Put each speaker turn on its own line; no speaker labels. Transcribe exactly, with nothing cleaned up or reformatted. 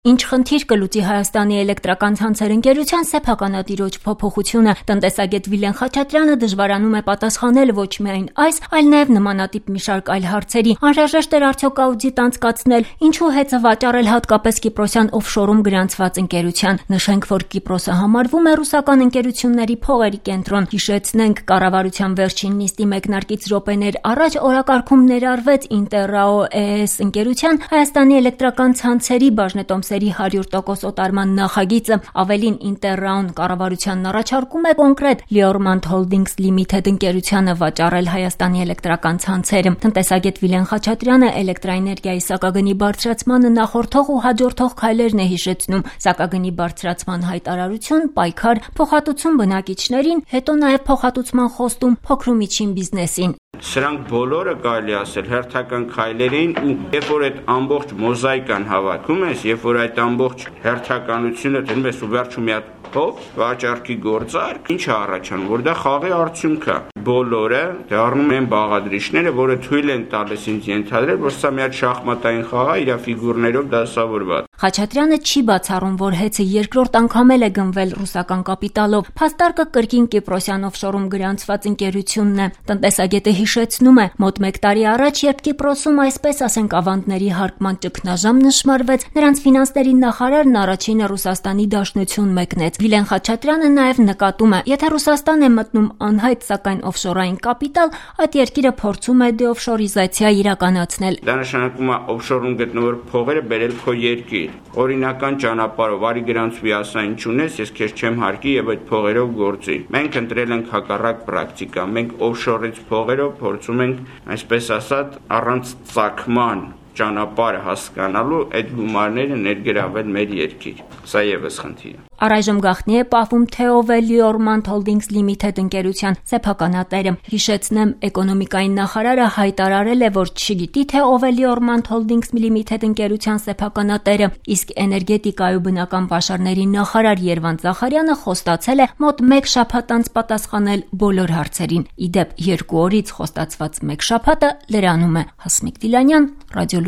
Ինչ խնդիր կլուծի Հայաստանի էլեկտրական ցանցեր ընկերության սեփականատիրոջ փոփոխությունը, տնտեսագետ Վիլեն Խաչատրյանը դժվարանում է պատասխանել ոչ միայն այս, այլ նաև նմանատիպ մի շարք այլ հարցերի։ Անհրաժեշտ էր արդյոք աուդիտ անցկացնել, ինչու հեծը վաճառել հատկապես Կիպրոսյան օֆշորում գրանցված ընկերության։ Նշենք, որ Կիպրոսը համարվում է ռուսական ընկերությունների փողերի կենտրոն։ Հիշեցնենք, կառավարության վերջին նիստի մեկնարկից րոպեներ առաջ օրակարգում ներառվեց Ինտերրաո Է Էս ընկերության Հայաստանի էլեկտրական ցանցերի բաժնետոմսերի հարյուր տոկոս օտարման նախագիծը։ Ավելին, Ինտերրաոն կառավարությանն առաջարկում է կոնկրետ Լիորմանդ Հոլդինգս Լիմիթեդ ընկերությանը վաճառել Հայաստանի էլեկտրական ցանցերը։ Տնտեսագետ Վիլեն Խաչատրյանը էլեկտրաէներգիայի սակագնի բարձրացմանը նախորդող ու հաջորդող քայլերն է հիշեցնում։ Սակագնի բարձրացման հայտարարություն, պայքար, փոխհատուցում բնակիչներին, հետո նաև փոխհատուցման խոստում փոքր ու միջին բիզնեսին։
Սրանք բոլորը կարելի ասել հերթական քայլեր էին, ու երբ որ այդ ամբողջ մոզաիկան հավաքում ես, երբ որ այդ ամբողջ հերթականությունը դնում ես ու վերջում մի հատ փոփ վաճառքի գործարք, ինչ է առաջանում, որ դա խաղի արդյունք է։ Բոլորը դառնում են բաղադրիչները, որը թույլ են տալիս ինձ ենթադրել, որ սա մի հատ շախմատային խաղ է, իր ֆիգուրներով դասավորված։
Խաչատրյանը չի բացառում, որ հեծը երկրորդ անգամ էլ է գնվել ռուսական կապիտալով։ Փաստարկը կրկին Կիպրոսյան օֆշորում գրանցված ընկերությունն է։ Տնտեսագետը հիշեցնում է, մոտ մեկ տարի առաջ, երբ Կիպրոսում այսպես ասենք ավանդների հարկման ճգնաժամ նշմարվեց, նրանց ֆինանսների նախարարն առաջինը Ռուսաստանի Դաշնություն մեկնեց։ Վիլեն Խաչատրյանը նաև նկատում է, եթե Ռուսաստան է մտնում անհայտ, սակայն օֆշորային կապիտալ, այդ երկիրը փորձում է դեօֆշորիզացիա իրականացնել։
Դա նշանակում է օֆշորում գտնվող փողերը բերել քո երկիր։ Օրինական ճանապարհով արի գրանցվի, ասա ինչ ունես, ես քեզ չեմ հարկի եւ այդ փողերով գործի։ Մենք ընտրել ենք հակառակ պրակտիկա։ Մենք օֆշորից փողերով փորձում ենք, այսպես ասած, առանց ծագման ճանապարհը հասկանալու այդ գումարները ներգրավել մեր երկիր։ Սա եւս խնդիր է։
Առայժմ գաղտնի է պահվում, թե ով է Լիորմանդ Հոլդինգս Լիմիթեդ ընկերության սեփականատերը։ Հիշեցնեմ, էկոնոմիկայի նախարարը հայտարարել է, որ չգիտի, թե ով է Լիորմանդ Հոլդինգս Լիմիթեդ ընկերության սեփականատերը, իսկ էներգետիկայի ու բնական պաշարների նախարար Երվանդ Զախարյանը խոստացել է մոտ մեկ շաբաթ անց պատասխանել բոլոր հարցերին։ Ի դեպ, երկու օրից խոստացված մեկ շաբաթը լրանում է։ Հասմիկ Դիլանյան, Ռադիո